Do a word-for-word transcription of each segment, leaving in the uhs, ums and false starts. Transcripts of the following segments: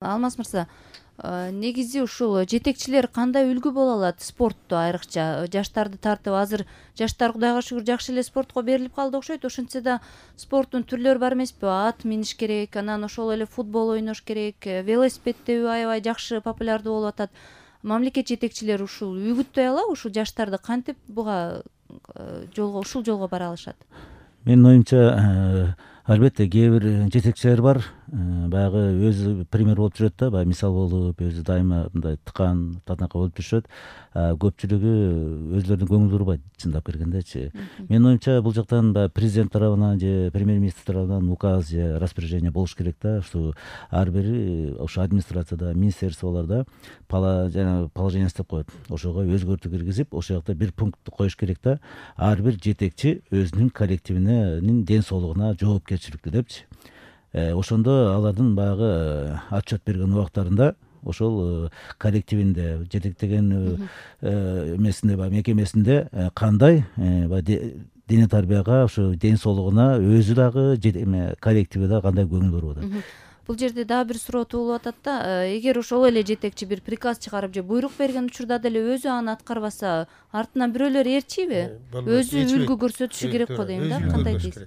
Алмаз мырза, негизи ушул жетекчилер кандай үлгү боло алат спортто, айрыкча жаштарды тартып? Азыр жаштар Кудайга шүгүр жакшы эле спортко берилип калды окшойт. Ошентсе да спорттун түрлөрү бар эмеспи? Ат миниш керек, анан ошол эле футбол ойнош керек, велосипед тебүү аябай жакшы популярдуу болуп атат. Мамлекет жетекчилери ушул үгүттөй алабы, ушул жаштарды кантип буга жолго, ушул жолго бара алышат? Менин оюмча, албетте кээ бир жетекчилер бар, баягы өзү пример болуп жүрөт да, баягы мисал болуп, өзү дайыма мындай тыкан татака болуп жүрүшөт. Көпчүлүгү өзүлөрүнүн көңүл бурбайт, чындап келгендечи. Менин оюмча, бул жактан баягы президент тарабынан же премьер-министр тарабынан указ же распоряжение болуш керек да, ушу ар бири ошо администрацияда, министерстволордо положение деп коет. Ошого өзгөртүү киргизип, ошол жакта бир пункт коюш керек да. Ар бир жетекчи өзүнүн коллективинин ден соолугуна жоопкерчиликтүү депчи. Ошондо алардын баягы отчет берген убактарында ошол коллективинде, жетектеген эмесинде, баягы мекемесинде кандай дене тарбияга, ошо ден соолугуна өзү дагы коллективи дагы кандай көңүл буруп атат. Бул жерде дагы бир суроо туулуп атат да. Эгер ошол эле жетекчи бир приказ чыгарып же буйрук берген учурда деле өзү аны аткарбаса, артынан бирөөлөр ээрчийби? Өзү үлгү көрсөтүшү керек го дейм да. Кандай дейсиз?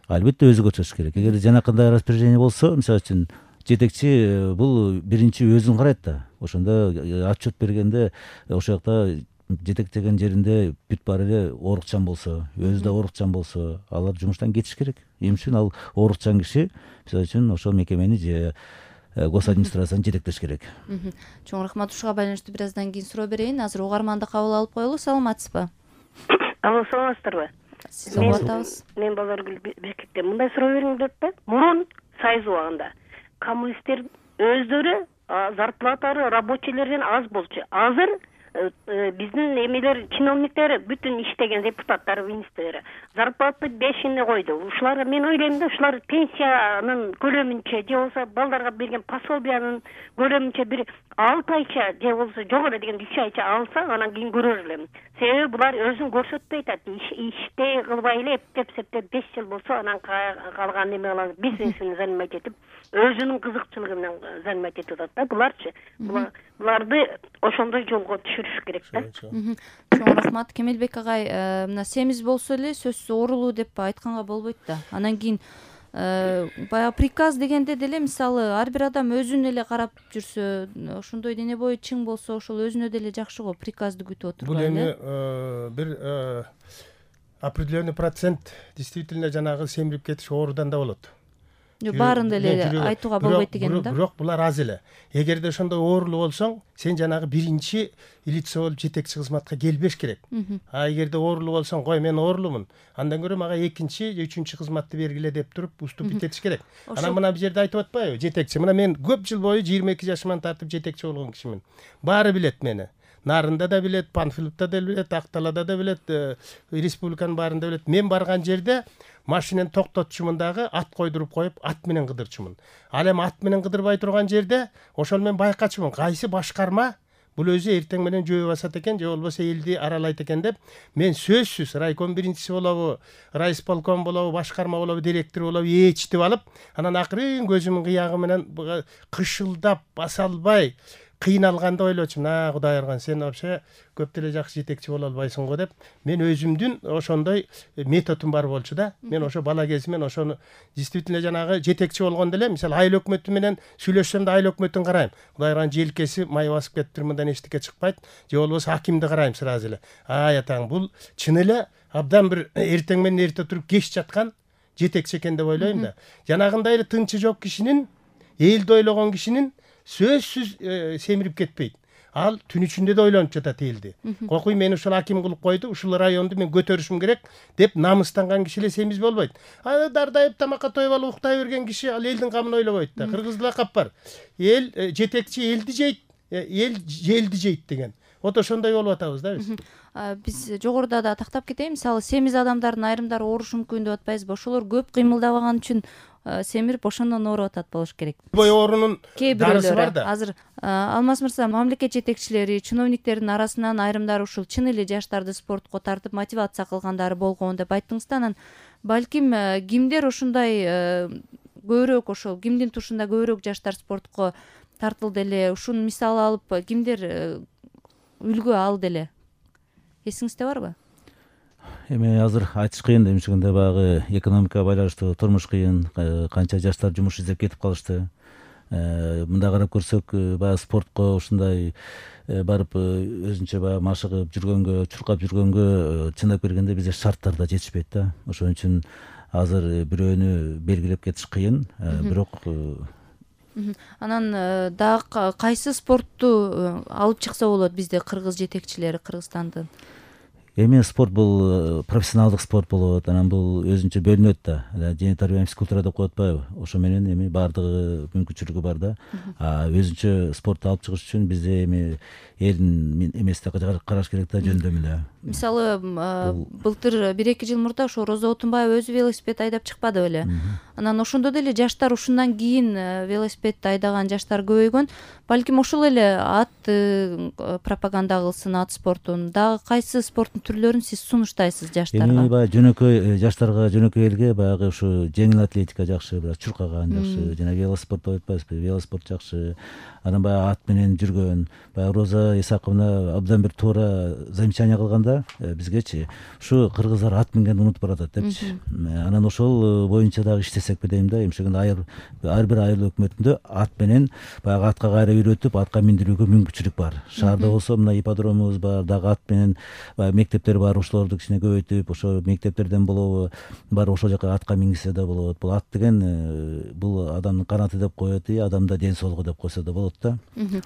Албетте өзү көрсөтүш керек. Эгер жанакындай распоряжение болсо, мисалы үчүн жетекчи бул биринчи өзүн карайт да. Ошондо отчет бергенде ошол жакта жетектеген жеринде бүт баары эле оорукчан болсо, өзү да оорукчан болсо, алар жумуштан кетиш керек. Эмне үчүн ал оорукчан киши мисалы үчүн ошол мекемени же гос администрацияны жетектеш керек. Чоң рахмат. Ушуга байланыштуу бир аздан кийин суроо берейин. Азыр угарманды кабыл алып коелу. Саламатсызбы? Алло, саламатсыздарбы? Сизди угуп атабыз. Мен Базаргүл Бекеттен мындай суроо бериң деп да. Мурун сайыз убагында коммунисттер өздөрү зарплаталары рабочийлерден аз болчу. Азыр биздин эмелер, чиновниктер, бүтүн иштеген депутаттар, министрлер зарплата бешине койду. Ушулар, мен ойлойм да, ушулар пенсиянын көлөмүнчө же болбосо балдарга берген пособиянын көлөмүнчө бир алты айча же болбосо жогору деген үч айча алса, анан кийин көрөр элем. Себеби булар өзүн көрсөтпөй атат. Иште кылбай эле эптеп септеп беш жыл болсо, анан калган эме кылам, бизнесин занимать этип, өзүнүн кызыкчылыгы менен занимать этип атат да. Буларчы, буларды ошондой жолго түшүрүш керек да. Чоң рахмат. Кемелбек агай, мына семиз болсо эле сөзсүз оорулуу деп айтканга болбойт да. Анан кийин баягы приказ дегенде деле, мисалы, ар бир адам өзүн эле карап жүрсө, ошондой дене бою чың болсо, ошол өзүнө деле жакшы го, приказды күтүп отурбай. Бул эми бир определенный процент действительно жанагы семирип кетиш оорудан да болот. Баарын эле айтууга болбойт дегеним да. Бирок булар аз эле. Эгерде ошондой оорулуу болсоң, сен жанагы биринчи лицо болуп жетекчи кызматка келбеш керек. А эгерде оорулуу болсоң, кой мен оорулумун, андан көрө мага экинчи, үчүнчү кызматты бергиле деп туруп уступить этиш керек. Анан мына бул жерде айтып атпайбы, жетекчи. Мына мен көп жыл бою жыйырма эки жашыман тартып жетекчи болгон кишимин. Баары билет мени. Нарында да билет, Панфиловда да билет, Акталада да билет, республиканын баарында билет. Мен барган жерде машинени токтотчумун дагы, ат койдуруп коюп, ат менен кыдырчумун. Ал эми ат менен кыдырбай турган жерде ошол мен байкачумун. Кайсы башкарма бул өзү эртең менен жөө басат экен, же болбосо элди аралайт экен деп, мен сөзсүз райком биринчиси болобу, райисполком болобу, башкарма болобу, директор болобу ээрчитип алып, анан акырын көзүмүн кыягы менен кышылдап баса албай кыйналганда ойлочумун, а Кудай ырган, сен вообще көп деле жакшы жетекчи боло албайсың го деп, мен өзүмдүн ошондой методум бар болчу да. Мен ошо бала кезимен ошону действительно жанагы жетекчи болгондо эле, мисалы, айыл өкмөтү менен сүйлөшсөм да айыл өкмөтүн карайм. Кудай ырган, желкеси май басып кетиптир, мындан эчтеке чыкпайт, же болбосо акимди карайм сразу эле. Ай атаң, бул чын эле абдан бир эртең менен эрте туруп кеч жаткан жетекчи экен деп ойлойм да. Жанагындай эле тынчы жок кишинин, элди ойлогон кишинин сөзсүз семирип кетпейт. Ал түн ичинде да ойлонуп жатат элди. Кокуй, мени ушул аким кылып койду, ушул районду мен көтөрүшүм керек деп намыстанган киши эле семиз болбойт. А дардайып тамакка тоюп алып уктай берген киши ал элдин камын ойлобойт да. Кыргызда лакап бар. Эл жетекчи элди жейт, эл элди жейт деген. Вот ошондой болуп атабыз да биз. Биз жогоруда да тактап кетейин. Мисалы, семиз адамдардын айрымдары оорушу мүмкүн деп атпайбызбы? Ошолор көп кыймылдабаган үчүн семирип ошондон ооруп атат болуш керек. Бой оорунун дарысы бар да. Азыр Алмаз мырза, мамлекет жетекчилери, чиновниктердин арасынан айрымдары ушул чын эле жаштарды спортко тартып мотивация кылгандары болгон деп айттыңыз да. Анан балким кимдер ушундай көбүрөөк, ошол кимдин тушунда көбүрөөк жаштар спортко тартылды эле, ушуну мисал алып кимдер үлгү алды эле, эсиңизде барбы? Эми азыр айтыш кыйын, эмчегенде баягы экономикага байланыштуу турмуш кыйын, канча жаштар жумуш издеп кетип калышты. Мындай карап көрсөк, баягы спортко ушундай барып өзүнчө баягы машыгып жүргөнгө, чуркап жүргөнгө чындап келгенде бизде шарттар да жетишпейт да. Ошон үчүн азыр бирөөнү белгилеп кетиш кыйын, бирок анан дагы кайсы спортту алып чыкса болот бизде кыргыз жетекчилери, Кыргызстандын? Эми спорт бул профессионалдык спорт болот, анан бул өзүнчө бөлүнөт да. Дене тарбия физкультура деп коет атпайбы? Ошо менен эми баардыгы мүмкүнчүлүгү бар да. А өзүнчө спортту алып чыгыш үчүн бизде эми элдин эмесине караш керек да, жөндөмү да. Мисалы, былтыр бир эки жыл мурда ошо Роза Отунбаева өзү велосипед айдап чыкпады беле? Анан ошондо деле жаштар ушундан кийин велосипедти айдаган жаштар көбөйгөн. Балким ошол эле ат пропаганда кылсын, ат спортун. Дагы кайсы спорттун түрлөрүн сиз сунуштайсыз жаштарга? Эми баягы жөнөкөй жаштарга, жөнөкөй элге баягы ушу жеңил атлетика жакшы, бирок чуркаган жакшы, жана велоспорт деп атпайбызбы? Велоспорт жакшы. Анан баягы ат менен жүргөн, баягы Роза Исаковна абдан бир туура замечание кылганда бизгечи, ушу кыргыздар ат мингенди унутуп баратат депчи. Анан ошол боюнча дагы иштесекпи дейм да. Эмчегенде ар бир айыл өкмөтүндө ат менен баягы атка кайра үйрөтүп, атка миндирүүгө мүмкүнчүлүк бар. Шаарда болсо мына ипподромубуз бар, дагы ат менен баягы мектептер бар, ошолорду кичине көбөйтүп, ошо мектептерден болобу бар ошол жака атка мингисе да болот. Бул ат деген бул адамдын канаты деп коет, и адамда ден соолугу деп койсо да болот да.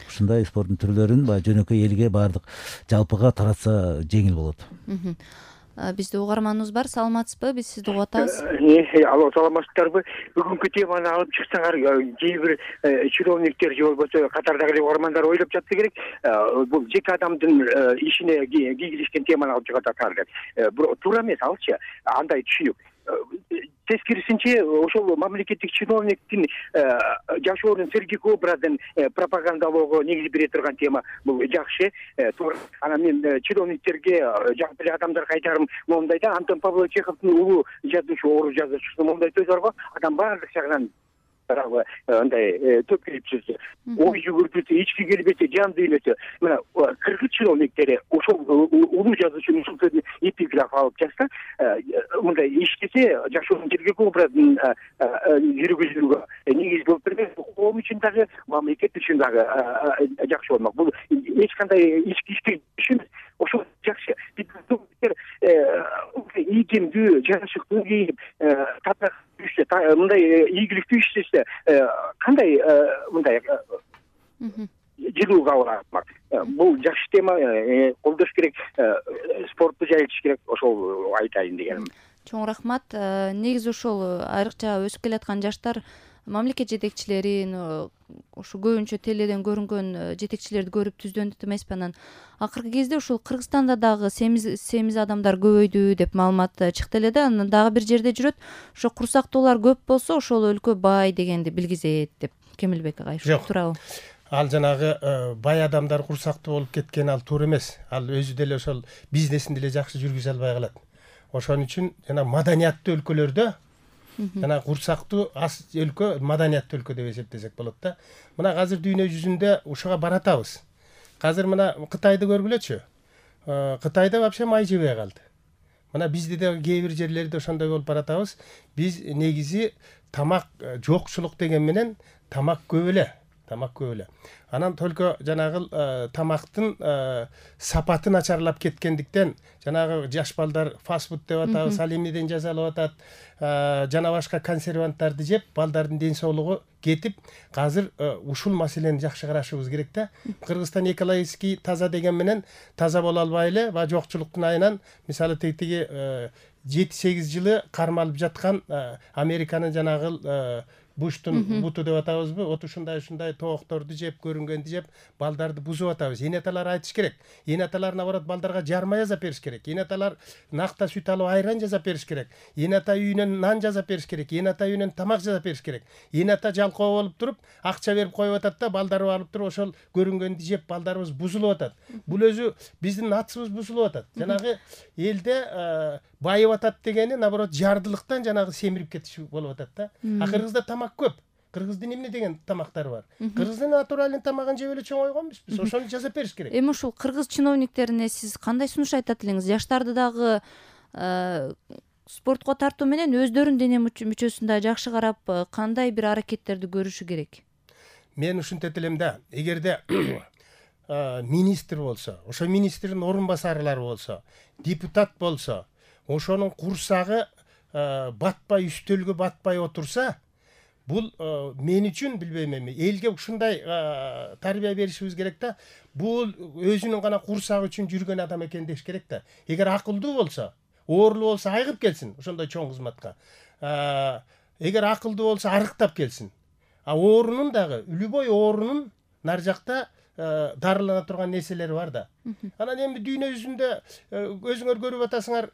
Ушундай спорттун түрлөрүн баягы жөнөкөй элге баардык жалпыга таратса жеңил болот. Бизде угарманыбыз бар, саламатсызбы? Биз сизди угуп атабыз. Алло, саламатсыздарбы? Бүгүнкү теманы алып чыксаңар, кээ бир чиновниктер же болбосо катардагы угармандар ойлоп жатса керек, бул жеке адамдын ишине кийгизишкен теманы алып чыгып атат деп. Туура эмес алчы, андай түшүнүк. Тескерисинче ошол мамлекеттик чиновниктин жашоонун сергек образын пропагандалоого негиз бере турган тема бул жакшы. Туура. Анан мен чиновниктерге, жалпы эле адамдарга айтарым моундай да, Антон Павлович Чеховдун улуу жазуучу, орус жазуучусу моундай сөз барго, адам баардык жагынан андай төкүлүпсүз, ой жүгүртүсү, ички келбети, жан дүйнөсү. Мына кыргыз чиновниктери ошол улуу жазуучунун ушул сөзүн эпиграф алып жазса, мындай иштесе, жашоонун сергек образын жүргүзүүгө негиз болуп бербек. Коом үчүн дагы, мамлекет үчүн дагы жакшы болмок. Бул эч кандай ички ишти эмес, ошол жакшы. Биздер ийгемдүү, жарашыктуу кийип, татак мындай ийгиликтүү иштесе, кандай мындай жылуу кабыл алмак. Бул жакшы тема, колдош керек, спортту жайылтыш керек, ошол айтайын дегеним. Чоң рахмат. Негизи ошол айрыкча өсүп келаткан жаштар мамлекет жетекчилерин, ошо көбүнчө теледен көрүнгөн жетекчилерди көрүп түздөнүп эмеспи? Анан акыркы кезде ушул Кыргызстанда дагы семиз адамдар көбөйдү деп маалымат чыкты эле да. Анан дагы бир жерде жүрөт, ошо курсактуулар көп болсо ошол өлкө бай дегенди билгизет деп. Кемелбек агай, ушул туурабы? Ал жанагы бай адамдар курсактуу болуп кеткен ал туура эмес. Ал өзү деле ошол бизнесин деле жакшы жүргүзө албай калат. Ошон үчүн жана маданияттуу өлкөлөрдө жана курсактуу аз өлкө маданияттуу өлкө деп эсептесек болот да. Мына азыр дүйнө жүзүндө ушуга баратабыз. Азыр мына Кытайды көргүлөчү. Кытайда вообще май жебей калды. Мына бизде да кээ бир жерлерде ошондой болуп баратабыз. Биз негизи тамак жокчулук деген менен тамак көп эле. Тамак көп эле. Анан только жанагы тамактын сапаты начарлап кеткендиктен жанагы жаш балдар фастфуд деп атабыз, алимиден жасалып атат, жана башка консерванттарды жеп, балдардын ден соолугу кетип, азыр ушул маселени жакшы карашыбыз керек да. Кыргызстан экологический таза деген менен таза боло албай эле, ва жокчулуктун айынан, мисалы тетиги жети сегиз жылы кармалып жаткан Американын жанагы Буштун буту деп атабызбы, вот ушундай ушундай тоокторду жеп, көрүнгөндү жеп, балдарды бузуп атабыз. Энеталар айтыш керек. Энеталар наоборот балдарга жарма жасап бериш керек. Энеталар накта сүт алып айран жасап бериш керек. Энета үйүнөн нан жасап бериш керек. Энета үйүнөн тамак жасап бериш керек. Энета жалкоо болуп туруп, акча берип коюп атат да, балдары алып туруп ошол көрүнгөндү жеп, балдарыбыз бузулуп атат. Бул өзү биздин натыбыз бузулуп атат. Жанагы элде байып атат дегени наоборот жардылыктан жанагы семирип кетиш болуп атат да. А Кыргызда тамак көп. кыргыздын эмне деген тамактары бар. Кыргыздын натуральный тамагын жеп эле чоңойгон эмеспиз. Ошону жасап бериш керек. Эми ушул кыргыз чиновниктерине сиз кандай сунуш айтат элеңиз? Жаштарды дагы спортко тартуу менен өздөрүнүн дене мүчөсүн да жакшы карап, кандай бир аракеттерди көрүшү керек? Мен ушинтет элем да, эгерде министр болсо, ошо министрдин орун басарлары болсо, депутат болсо, ошонун курсагы батпай, үстөлгө батпай отурса, бул мен үчүн билбейм эми, элге ушундай тарбия беришибиз керек да. Бул өзүнүн гана курсагы үчүн жүргөн адам экен деш керек да. Эгер акылдуу болсо, оорлуу болсо айыгып келсин ошондой чоң кызматка. Эгер акылдуу болсо арыктап келсин. А оорунун дагы, любой оорунун нар жакта дарылана турган нерселери бар да. Анан эми дүйнө жүзүндө өзүңөр көрүп атасыңар,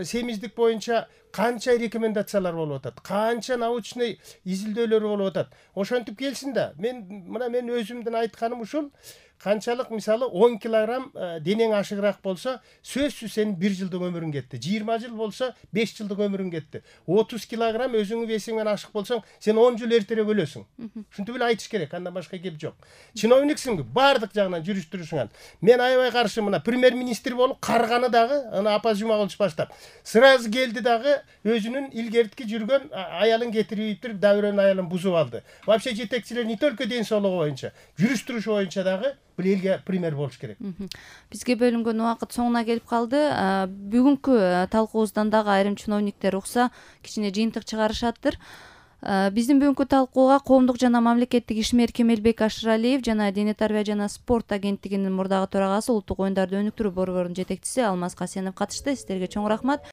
семиздик боюнча канча рекомендациялар болуп атат, канча научный изилдөөлөр болуп атат. Ошентип келсин да. Мен мына мен өзүмдүн айтканым ушул. Канчалык мисалы он килограмм денең ашыгыраак болсо, сөзсүз сенин бир жылдык өмүрүң кетти. жыйырма жыл болсо беш жылдык өмүрүң кетти. отуз килограмм өзүңүн весиң менен ашык болсоң, сен он жыл эртерээк өлөсүң. Ушинтип эле айтыш керек, андан башка кеп жок. Чиновниксиң, баардык жагынан жүрүштүрүшүңан. Мен аябай каршы мына премьер-министр болуп карганы дагы, аны Апа Жумагулович баштап. Сразу келди дагы өзүнүн илгертки жүргөн аялын кетириптир, дабырын аялын бузуп алды. Вообще жетекчилер не только ден соолугу боюнча, жүрүштүрүш боюнча дагы бул элге пример болуш керек. Бизге бөлүнгөн убакыт соңуна келип калды. Бүгүнкү талкуубуздан дагы айрым чиновниктер укса, кичине жыйынтык чыгарышаттыр. Биздин бүгүнкү талкууга коомдук жана мамлекеттик ишмер Кемелбек Ашыралиев жана Дене тарбия жана спорт агенттигинин мурдагы төрагасы, Улуттук оюндарды өнүктүрүү борборунун жетекчиси Алмаз Касенов катышты. Сиздерге чоң рахмат.